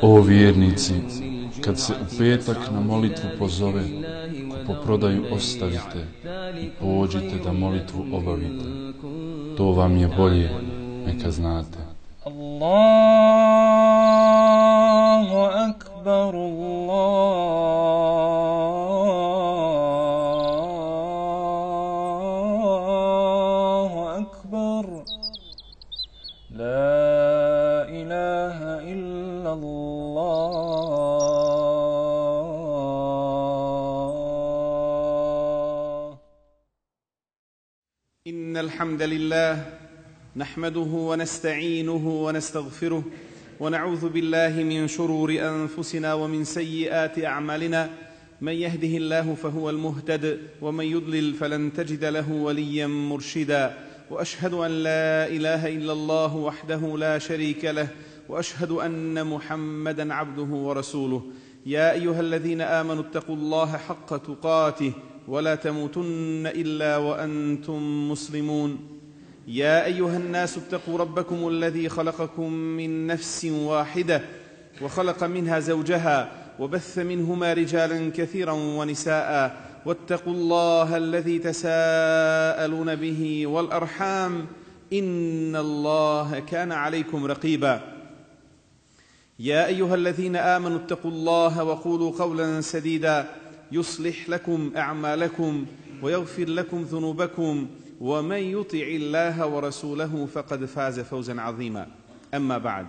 O vjernici, kad se u petak na molitvu pozove, kupoprodaju ostavite i pođite da molitvu obavite. To vam je bolje, neka znate. Allahu akbar, Allahu akbar, la ilaha illa Allah. Innal hamdalillah نحمده ونستعينه ونستغفره ونعوذ بالله من شرور أنفسنا ومن سيئات أعمالنا من يهده الله فهو المهتد ومن يضلل فلن تجد له وليا مرشدا وأشهد أن لا إله إلا الله وحده لا شريك له وأشهد أن محمدا عبده ورسوله يا أيها الذين آمنوا اتقوا الله حق تقاته ولا تموتن إلا وأنتم مسلمون يا أيها الناس اتقوا ربكم الذي خلقكم من نفس واحدة وخلق منها زوجها وبث منهما رجالا كثيرا ونساء واتقوا الله الذي تساءلون به والأرحام إن الله كان عليكم رقيبا يا أيها الذين آمنوا اتقوا الله وقولوا قولا سديدا يصلح لكم أعمالكم ويغفر لكم ذنوبكم ومن يطع الله ورسوله فقد فاز فوزا عظيما أما بعد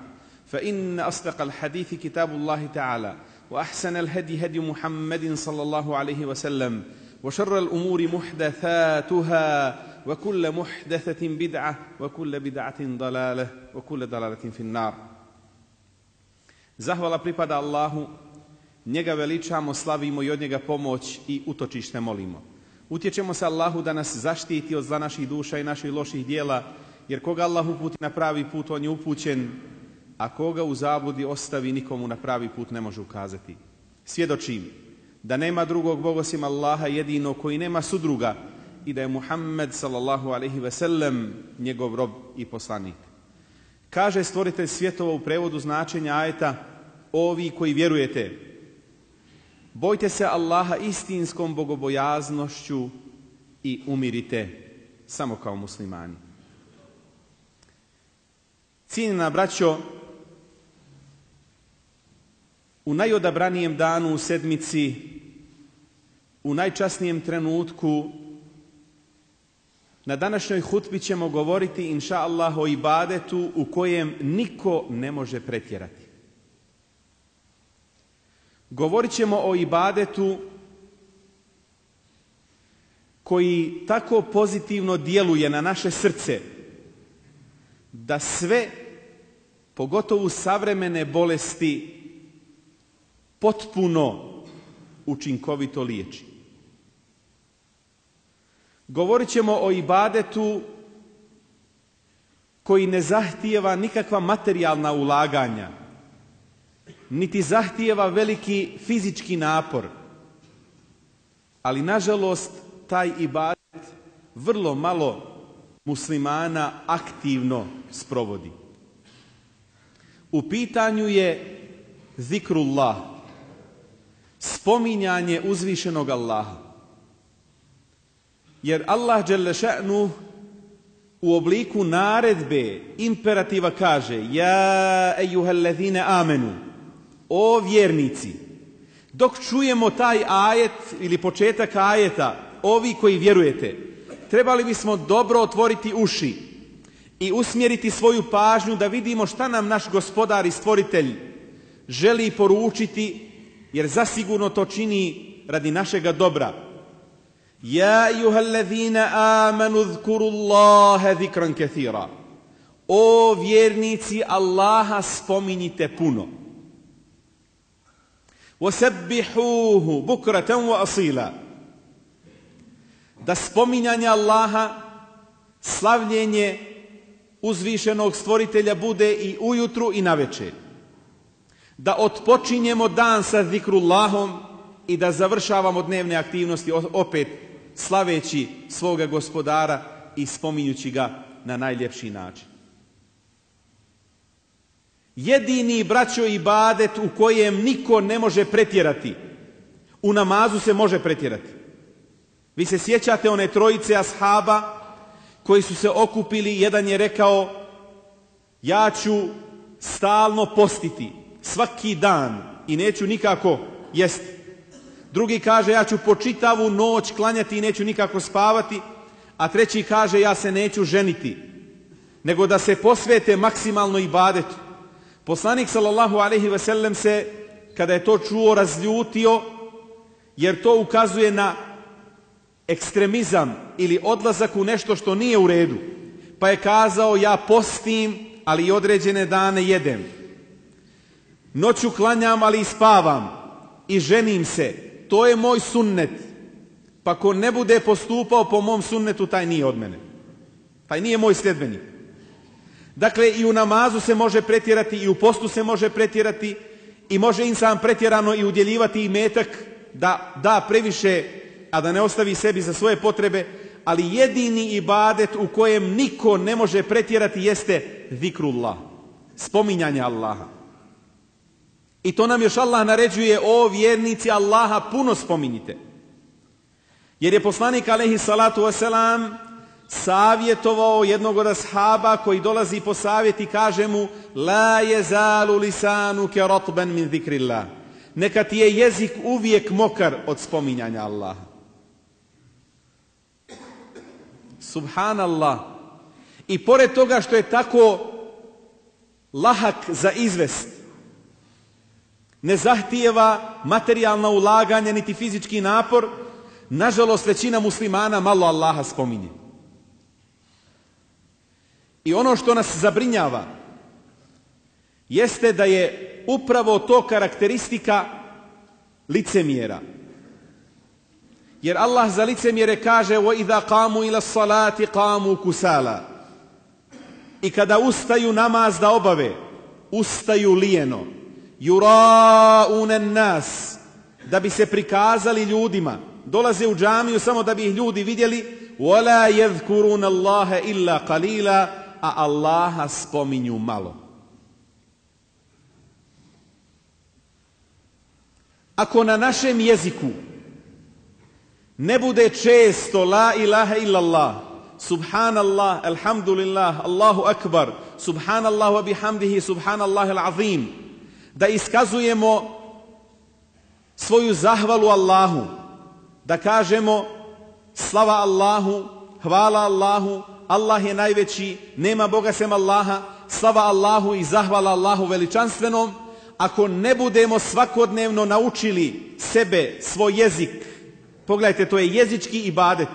فإن أصدق الحديث كتاب الله تعالى وأحسن الهدي هدي محمد صلى الله عليه وسلم وشر الأمور محدثاتها وكل محدثة بدعة وكل بدعة ضلالة وكل ضلالة في النار. Zahvala pripada Allahu, njega veličamo, slavimo i od njega pomoć i utočište molimo. Utječemo se Allahu da nas zaštiti od zla naših duša i naših loših dijela, jer koga Allah uputi na pravi put, on je upućen, a koga u zabludi ostavi, nikomu na pravi put ne može ukazati. Svjedočim da nema drugog Boga osim Allaha jedino, koji nema sudruga, i da je Muhammed sallallahu alejhi ve sellem njegov rob i poslanik. Kaže stvoritelj svjetova u prevodu značenja ajeta: ovi koji vjerujete, bojte se Allaha istinskom bogobojaznošću i umirite samo kao muslimani. Cijenjena braćo, u najodabranijem danu u sedmici, u najčasnijem trenutku, na današnjoj hutbi ćemo govoriti inša Allah o ibadetu u kojem niko ne može pretjerati. Govorit ćemo o ibadetu koji tako pozitivno djeluje na naše srce da sve, pogotovo savremene bolesti, potpuno učinkovito liječi. Govorit ćemo o ibadetu koji ne zahtijeva nikakva materijalna ulaganja, niti zahtijeva veliki fizički napor, ali nažalost taj ibadet vrlo malo muslimana aktivno sprovodi. U pitanju je zikrullah, spominjanje uzvišenog Allaha. Jer Allah dželle še'nu u obliku naredbe, imperativa kaže: ja ejuhellezine amenu, o vjernici. Dok čujemo taj ajet ili početak ajeta, ovi koji vjerujete, trebali bismo dobro otvoriti uši i usmjeriti svoju pažnju da vidimo šta nam naš gospodar i stvoritelj želi poručiti, jer zasigurno to čini radi našega dobra. Ja ejuhellezine amenu zkurullaha zikran kathira. O vjernici, Allaha spominjite puno. وَسَبِّحُوهُ بُكْرَةً وَأَصِيلًا. Da spominjanje Allaha, slavljenje uzvišenog stvoritelja bude i ujutru i navečer. Da otpočinjemo dan sa zikrullahom i da završavamo dnevne aktivnosti opet slaveći svoga gospodara i spominjući ga na najljepši način. Jedini, braćo, ibadet u kojem niko ne može pretjerati. U namazu se može pretjerati. Vi se sjećate one trojice ashaba koji su se okupili, jedan je rekao ja ću stalno postiti svaki dan i neću nikako jesti. Drugi kaže ja ću po čitavu noć klanjati i neću nikako spavati, a treći kaže ja se neću ženiti, nego da se posvete maksimalno ibadetu. Poslanik sallallahu alejhi ve sellem se, kada je to čuo, razljutio, jer to ukazuje na ekstremizam ili odlazak u nešto što nije u redu. Pa je kazao ja postim, ali i određene dane jedem. Noću klanjam, ali i spavam. I ženim se. To je moj sunnet. Pa ko ne bude postupao po mom sunnetu, taj nije od mene. Taj nije moj sljedbenik. Dakle, i u namazu se može pretjerati, i u postu se može pretjerati, i može insan pretjerano i udjeljivati imetak da da previše, a da ne ostavi sebi za svoje potrebe, ali jedini ibadet u kojem niko ne može pretjerati jeste zikrullah, spominjanje Allaha. I to nam još Allah naređuje, o vjernici, Allaha puno spominjite. Jer je poslanik alejhi salatu vesselam savjetovao jednog od ashaba koji dolazi po savjet i kaže mu la yezalu lisanuke ratban min zikrillah. Neka ti je jezik uvijek mokar od spominjanja Allaha. Subhanallah. I pored toga što je tako lahak za izvest, ne zahtijeva materijalno ulaganje niti fizički napor, nažalost većina muslimana malo Allaha spominje. I ono što nas zabrinjava jeste da je upravo to karakteristika licemjera. Jer Allah za licemjere kaže وَإِذَا قَامُوا إِلَى الصَّلَاةِ قَامُوا كُسَالًا. I kada ustaju namaz da obave, ustaju lijeno. يُرَاءُونَ النَّاسِ, da bi se prikazali ljudima. Dolaze u džamiju samo da bi ih ljudi vidjeli. وَلَا يَذْكُرُونَ اللَّهَ إِلَّا قَلِيلًا, a Allaha spominju malo. Ako na našem jeziku ne bude često la ilaha illallah, subhanallah, alhamdulillah, Allahu akbar, subhanallah wa bihamdihi, subhanallah al-azim, da iskazujemo svoju zahvalu Allahu, da kažemo slava Allahu, hvala Allahu, Allah je najveći, nema Boga sem Allaha, slava Allahu i zahvala Allahu veličanstvenom. Ako ne budemo svakodnevno naučili sebe, svoj jezik, pogledajte, to je jezički ibadet.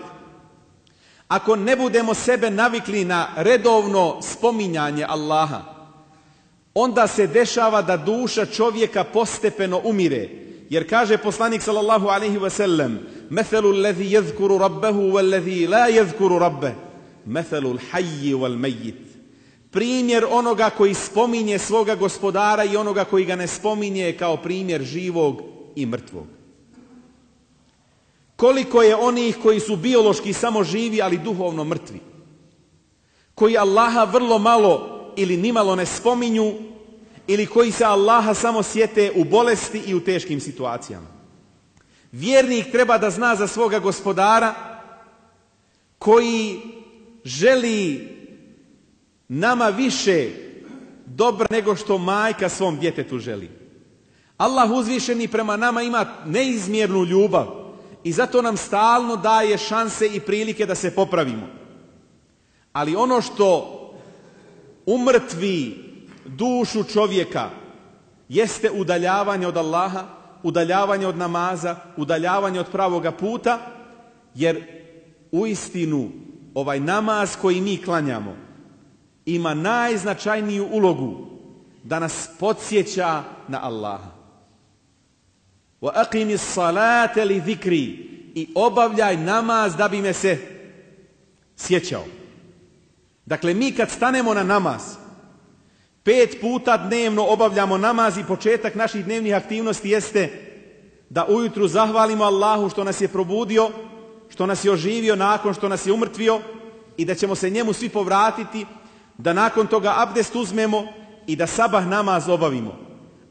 Ako ne budemo sebe navikli na redovno spominjanje Allaha, onda se dešava da duša čovjeka postepeno umire. Jer kaže poslanik sallallahu alejhi ve sellem: "Methalu allazi yadhkuru rabbahu wallazi la yadhkuru rabbah, methalu al-hayy wal-mayyit." Primjer onoga koji spominje svoga gospodara i onoga koji ga ne spominje je kao primjer živog i mrtvog. Koliko je onih koji su biološki samo živi, ali duhovno mrtvi, koji Allaha vrlo malo ili nimalo ne spominju, ili koji se Allaha samo sjete u bolesti i u teškim situacijama. Vjernik treba da zna za svoga gospodara koji želi nama više dobra nego što majka svom djetetu želi. Allah uzvišeni prema nama ima neizmjernu ljubav i zato nam stalno daje šanse i prilike da se popravimo. Ali ono što umrtvi dušu čovjeka jeste udaljavanje od Allaha, udaljavanje od namaza, udaljavanje od pravoga puta, jer uistinu ovaj namaz koji mi klanjamo ima najznačajniju ulogu da nas podsjeća na Allaha. Wa aqimis salate li zikri, i obavljaj namaz da bi me se sjećao. Dakle, mi kad stanemo na namaz, 5 puta dnevno obavljamo namaz i početak naših dnevnih aktivnosti jeste da ujutru zahvalimo Allahu što nas je probudio, što nas je oživio nakon što nas je umrtvio i da ćemo se njemu svi povratiti, da nakon toga abdest uzmemo i da sabah namaz obavimo.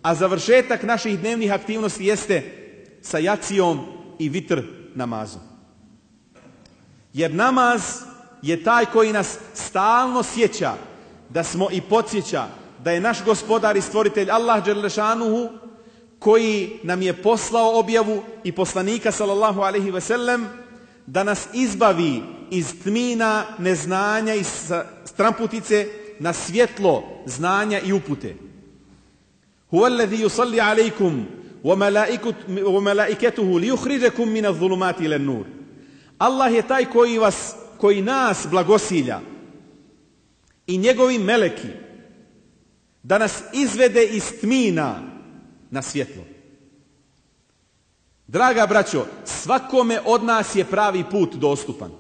A završetak naših dnevnih aktivnosti jeste sa jacijom i vitr namazom. Jer namaz je taj koji nas stalno sjeća da smo i podsjeća da je naš gospodar i stvoritelj Allah dželle šanuhu koji nam je poslao objavu i poslanika sallallahu alejhi ve sellem da nas izbavi iz tmina neznanja i stramputice na svjetlo znanja i upute. Huwallazi yusalli alejkum wa malaikatuhu liyukhrijakum min adh-dhulumati ila an-nur. Allah je taj koji nas blagosilja i njegovi meleki da nas izvede iz tmina na svjetlo. Draga braćo, svakome od nas je pravi put dostupan.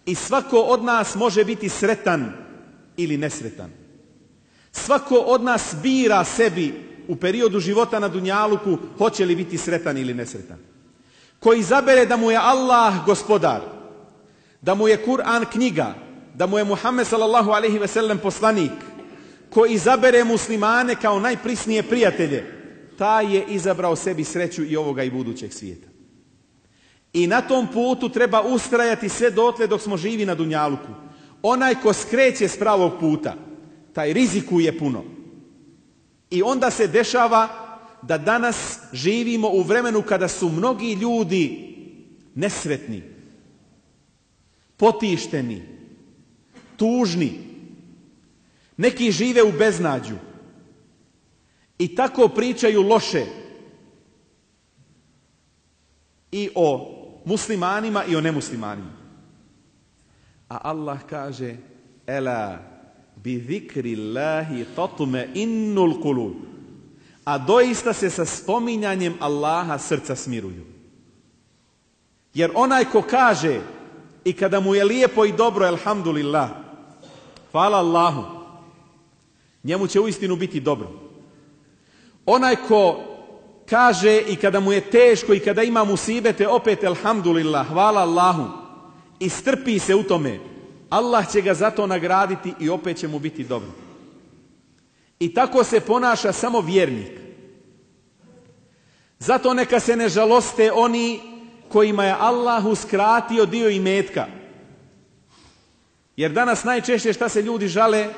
I svako od nas može biti sretan ili nesretan. Svako od nas bira sebi u periodu života na dunjaluku hoće li biti sretan ili nesretan. Ko izabere da mu je Allah gospodar, da mu je Kur'an knjiga, da mu je Muhammed sallallahu alejhi ve sellem poslanik, ko izabere muslimane kao najprisnije prijatelje, taj je izabrao sebi sreću i ovoga i budućeg svijeta. I na tom putu treba ustrajati sve dotle dok smo živi na dunjaluku. Onaj ko skreće s pravog puta, taj rizikuje puno. I onda se dešava da danas živimo u vremenu kada su mnogi ljudi nesretni, potišteni, tužni. Neki žive u beznađu i tako pričaju loše i o muslimanima i o nemuslimanima. A Allah kaže: Ela bi zikrillahi tatma'innul qulub. A doista se sa spominjanjem Allaha srca smiruju. Jer onaj ko kaže i kada mu je lijepo i dobro, elhamdulillah, hvala Allahu, njemu će uistinu biti dobro. Onaj ko kaže i kada mu je teško i kada ima musibete, opet elhamdulillah, hvala Allahu, i strpi se u tome, Allah će ga zato nagraditi i opet će mu biti dobro. I tako se ponaša samo vjernik. Zato neka se ne žaloste oni kojima je Allah uskratio dio imetka. Jer danas najčešće šta se ljudi žale?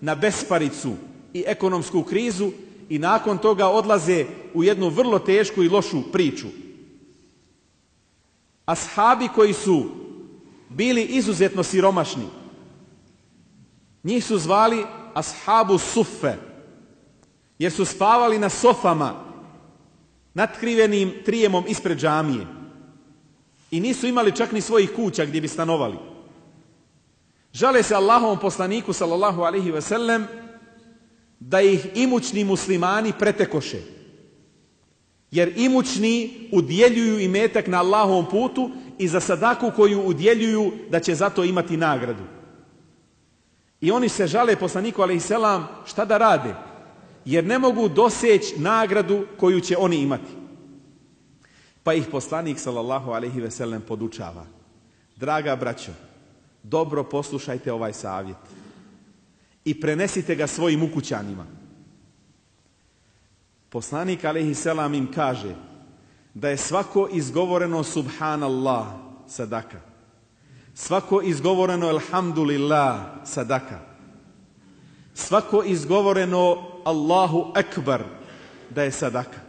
Na besparicu i ekonomsku krizu i nakon toga odlaze u jednu vrlo tešku i lošu priču. Ashabi koji su bili izuzetno siromašni, njih su zvali ashabu suffe, jer su spavali na sofama natkrivenim trijemom ispred džamije i nisu imali čak ni svojih kuća gdje bi stanovali. Žale se Allahovom poslaniku sallallahu alejhi ve sellem da ih imućni muslimani pretekoše. Jer imućni udjeljuju imetak na Allahovom putu i za sadaku koju udjeljuju da će zato imati nagradu. I oni se žale poslaniku alejhi selam šta da rade, jer ne mogu doseći nagradu koju će oni imati. Pa ih poslanik sallallahu alejhi ve sellem podučava: draga braćo, dobro poslušajte ovaj savjet i prenesite ga svojim ukućanima. Poslanik alejhi selam im kaže da je svako izgovoreno subhanallah sadaka, svako izgovoreno elhamdulillah sadaka, svako izgovoreno Allahu ekbar da je sadaka.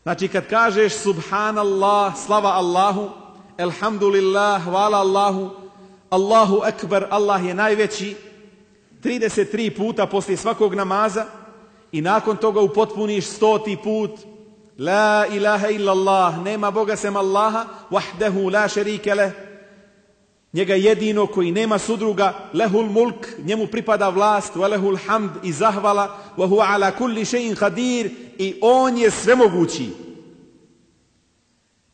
Znači kad kažeš subhanallah, slava Allahu, elhamdulillah, hvala Allahu, Allahu ekbar, Allah je najveći, 33 puta poslije svakog namaza i nakon toga upotpuniš 100. put la ilaha illallah, nema Boga sem Allaha, wahdahu la šerike leh, njega jedino koji nema sudruga, lehul mulk, njemu pripada vlast, wa lehul hamd i zahvala, wa huwa ala kulli še'in qadir, i on je svemogući.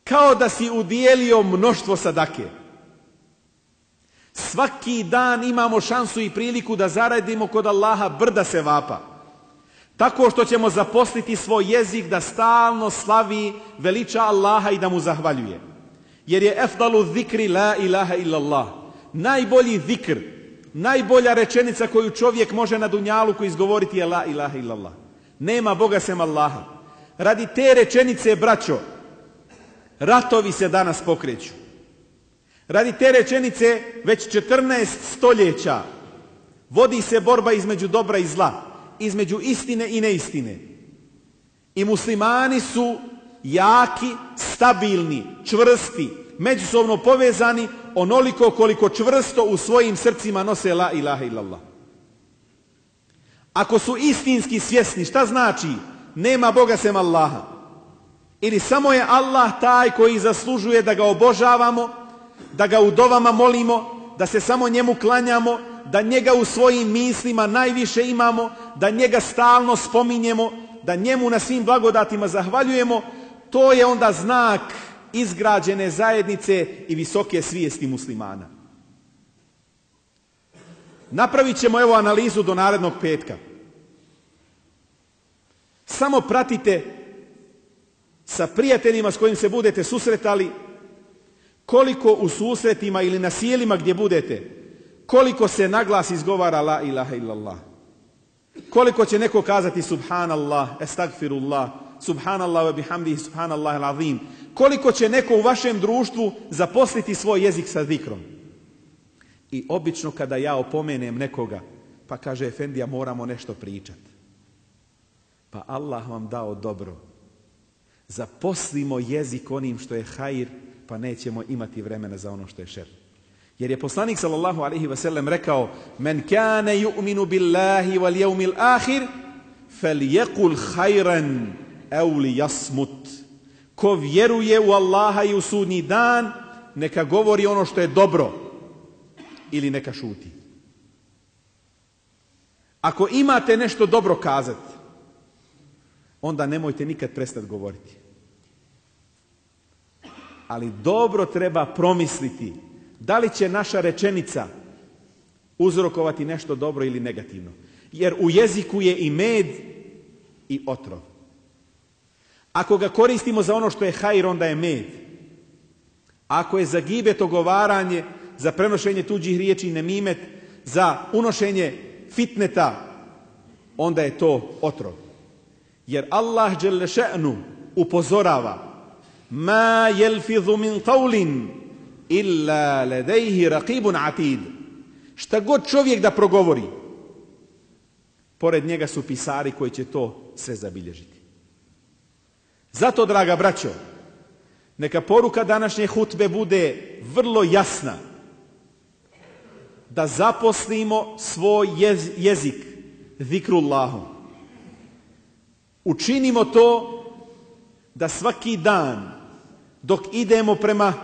Kao da si udijelio mnoštvo sadake. Svaki dan imamo šansu i priliku da zaradimo kod Allaha brda sevapa. Tako što ćemo zaposliti svoj jezik da stalno slavi, veliča Allaha i da mu zahvaljuje. Jer je efdalu zikri la ilaha illallah. Najbolji zikr, Najbolja rečenica koju čovjek može na dunjaluku izgovoriti je la ilaha illallah. Nema Boga sem Allaha. Radi te rečenice, braćo, ratovi se danas pokreću. Radi te rečenice već 14 stoljeća vodi se borba između dobra i zla, između istine i neistine. I muslimani su jaki, stabilni, čvrsti, međusobno povezani onoliko koliko čvrsto u svojim srcima nose la ilaha illallah. Ako su istinski svjesni šta znači nema Boga sem Allaha, ili samo je Allah taj koji zaslužuje da ga obožavamo, da ga u dovama molimo, da se samo njemu klanjamo, da njega u svojim mislima najviše imamo, da njega stalno spominjemo, da njemu na svim blagodatima zahvaljujemo, to je onda znak izgrađene zajednice i visoke svijesti muslimana. Napravit ćemo evo analizu do narednog petka. Samo pratite sa prijateljima s kojim se budete susretali, koliko u susretima ili na sjelima gdje budete, koliko se naglas izgovara la ilaha illallah. Koliko će neko kazati subhanallah, estagfirullah, subhanallah wa bihamdihi, subhanallah al-azim. Koliko će neko u vašem društvu zaposliti svoj jezik sa zikrom. I obično kada ja opomenem nekoga, pa kaže efendija moramo nešto pričati. Pa Allah vam dao dobro. Zaposlimo jezik onim što je hajr, pa nećemo imati vremena za ono što je šer. Jer je poslanik sallallahu alejhi ve sellem rekao: "Men kana yu'minu billahi wal yawmil akhir falyaqul khayran aw liyasmut." Ko vjeruje u Allaha i u sudnji dan, neka govori ono što je dobro ili neka šuti. Ako imate nešto dobro kazati, onda nemojte nikad prestati govoriti. Ali dobro treba promisliti da li će naša rečenica uzrokovati nešto dobro ili negativno. Jer u jeziku je i med i otrov. Ako ga koristimo za ono što je hajr, onda je med. Ako je za gibet, ogovaranje, za prenošenje tuđih riječi, nemimet, za unošenje fitneta, onda je to otrov. Jer Allah dželle še'nu upozorava: "Ma yelfidhu min qawlin illa ladayhi raqibun atid." Šta god čovjek da progovori, pored njega su pisari koji će to sve zabilježiti. Zato, draga braćo, neka poruka današnje hutbe bude vrlo jasna. Da zaposlimo svoj jezik zikrullahom. Učinimo to da svaki dan dok idemo prema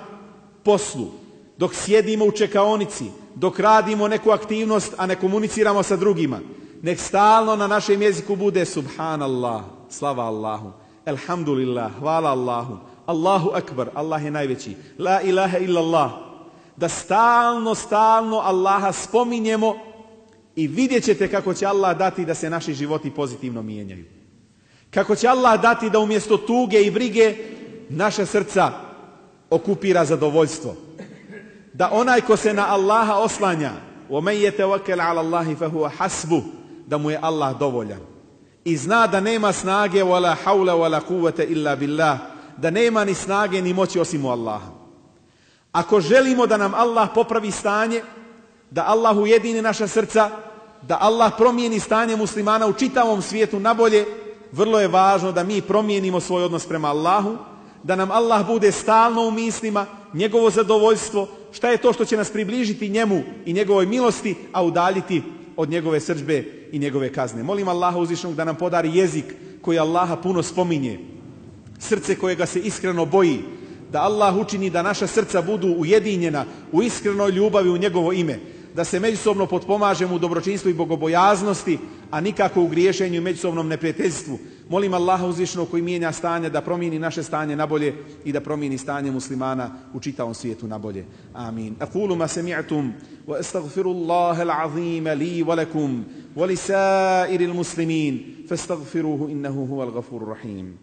poslu, dok sjedimo u čekaonici, dok radimo neku aktivnost, a ne komuniciramo sa drugima, nek stalno na našem jeziku bude subhanallah, slava Allahu, elhamdulillah, hvala Allahu, Allahu akbar, Allah je najveći, la ilaha illallah. Da stalno Allaha spominjemo i vidjet ćete kako će Allah dati da se naši životi pozitivno mijenjaju. Kako će Allah dati da umjesto tuge i brige naša srca okupira zadovoljstvo. Da onaj ko se na Allaha oslanja, وَمَنْ يَتَوَكَّلْ عَلَى اللَّهِ فَهُوَ حَسْبُهُ, da mu je Allah dovoljan. I zna da nema snage وَلَا حَوْلَ وَلَا قُوَّةَ إِلَّا بِاللَّهِ, da nema ni snage ni moći osim u Allaha. Ako želimo da nam Allah popravi stanje, da Allah ujedini naša srca, da Allah promijeni stanje muslimana u čitavom svijetu na bolje, vrlo je važno da mi promijenimo svoj odnos prema Allahu, da nam Allah bude stalno u mislima, njegovo zadovoljstvo, šta je to što će nas približiti njemu i njegovoj milosti, a udaljiti od njegove srdžbe i njegove kazne. Molim Allaha uzvišenog da nam podari jezik koji Allaha puno spominje, srce kojega se iskreno boji, da Allah učini da naša srca budu ujedinjena u iskrenoj ljubavi u njegovo ime, da se međusobno potpomažemo u dobročinstvu i bogobojaznosti, a nikako u griješenju i međusobnom neprijateljstvu. Molim Allaha uzvišenog koji mijenja stanje da promijeni naše stanje na bolje i da promijeni stanje muslimana u čitavom svijetu na bolje. Amin. Aqulu ma sami'tum wa astaghfirullaha al-azim li wa lakum wa li sa'iril muslimin fastaghfiruhu innahu huwal ghafurur rahim.